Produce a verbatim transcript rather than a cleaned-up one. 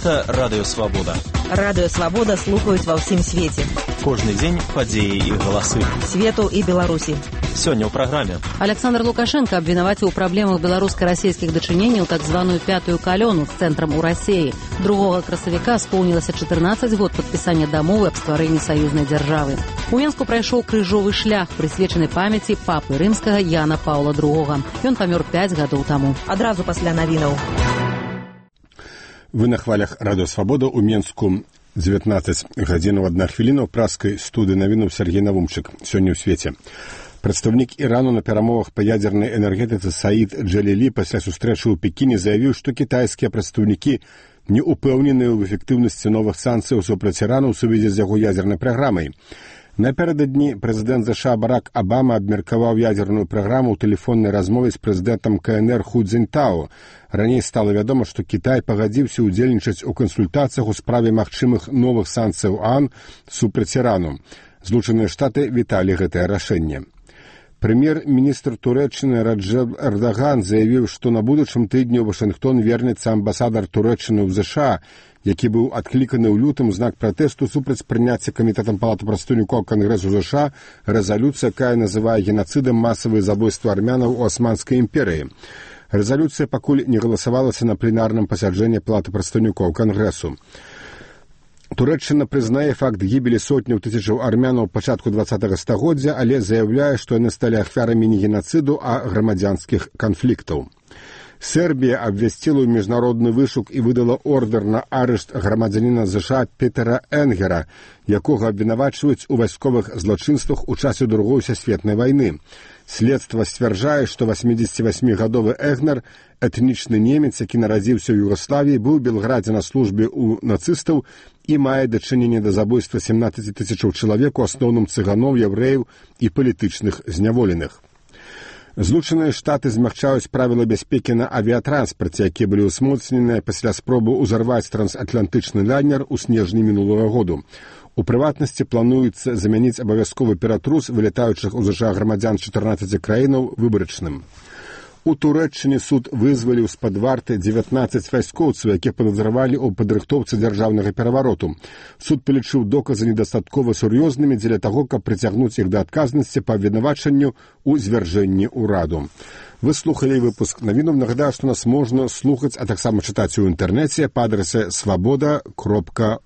Гэта Радыё Свабода. Радыё Свабода слухаюць ва ўсім свеце. Кожны дзень падзеі і галасы. Свету і Беларусі. Сёння ў праграме. Александр Лукашенко абвінаваціў у праблемах беларуска-расійскіх дачыненняў так званую пятую калёну з цэнтрам у Расіі. Другога красавіка споўнілася чатырнаццаць год падпісання дамовы аб стварэнні саюзнай дзяржавы. У Менску прайшоў крыжовы шлях, прысвечаны памяці папы рымскага Яна Паўла другога. Ён памёр пяць гадоў таму. Адразу пасля навінаў. Вы на хвалях Радыё Свабода ў Менску. дзевятнаццаць гадзінаў адна хвіліна ў праскай студыі навінаў Сергей Навумчык. Сёння ў свеце. Прадстаўнік Ірану на перамовах па ядзернай энергетыцы Саід Джалілі пасля сустрэчы ў Пекіне заявіў, што кітайскія прадстаўнікі не ўпэўненыя ў эфектыўнасці новых санкцыяў супраць Ірану ў сувязі з яго ядзернай праграмай. Напярэдадні прэзідэнт ЗША Барак Абама абмеркаваў ядзерную праграму ў тэлефоннай размове з прэзідэнтам КНР Ху Цзіньтао. Раней стала вядома, што Кітай пагадзіўся ўдзельнічаць у кансультацыях у справе магчымых новых санкцыяў ААН супраць Ірану. Злучаныя Штаты віталі гэтае рашэнне. Прэм'ер-міністр Турэччыны Раджэб Эрдаган заявіў, што на будучым тыдні ў Вашынгтон вернецца амбасадар Турэччыны ў ЗША, які быў адкліканы ў лютым у знак пратэсту супраць прыняцця камітэтам палаты прадстаўнікоў Кангрэсу ЗША рэзалюцыя, якая называе генацыдам масавыя забойствы армянаў у Османскай імперыі. Рэзалюцыя пакуль не галасавалася на пленарным пасяджэнні палаты прадстаўнікоў Кангрэсу. Турэччына прызнае факт гібелі сотняў тысячаў армянаў пачатку дваццатага стагоддзя, але заяўляе, што яны сталі ахвярамі не генацыду, а грамадзянскіх канфліктаў. Сербія абвясціла ў міжнародны вышук і выдала ордэр на арышт грамадзяніна ЗША Петера Энгера, якога абвінавачваюць у вайсковых злачынствах у часе Другой сусветнай вайны. Следства сцвярджае, што васьмідзесятвасьмігадовы Эгнер, этнічны немец, які нарадзіўся ў Югаславіі, быў у Белградзе на службе ў нацыстаў і мае дачыненне да забойства семнаццаці тысячаў чалавек, у асноўным цыганоў, яўрэяў і палітычных зняволеных. Злучаныя Штаты змягчаюць правілы бяспекі на авіятранспарце, якія былі ўзмоцненыя пасля спробы ўзарваць трансатлантычны лайнер у снежні мінулага году. У прыватнасці плануецца замяніць абавязковы ператрус вылятаючых у ЗША грамадзян чатырнаццаці краінаў выбарачным. У Турэччыне суд вызваліў з-пад варты дзевятнаццаць вайскоўцаў, якія падазравалі ў падрыхтоўцы дзяржаўнага перавароту. Суд палічыў доказы недастаткова сур'ёзнымі дзеля таго, каб прыцягнуць іх да адказнасці па абвінавачанню ў звяржэнні ўраду. Вы слухалі выпуск навінаў. Нагадаю, што нас можна слухаць, а таксама чытаць у інтэрнэце па адрасе свабода кропка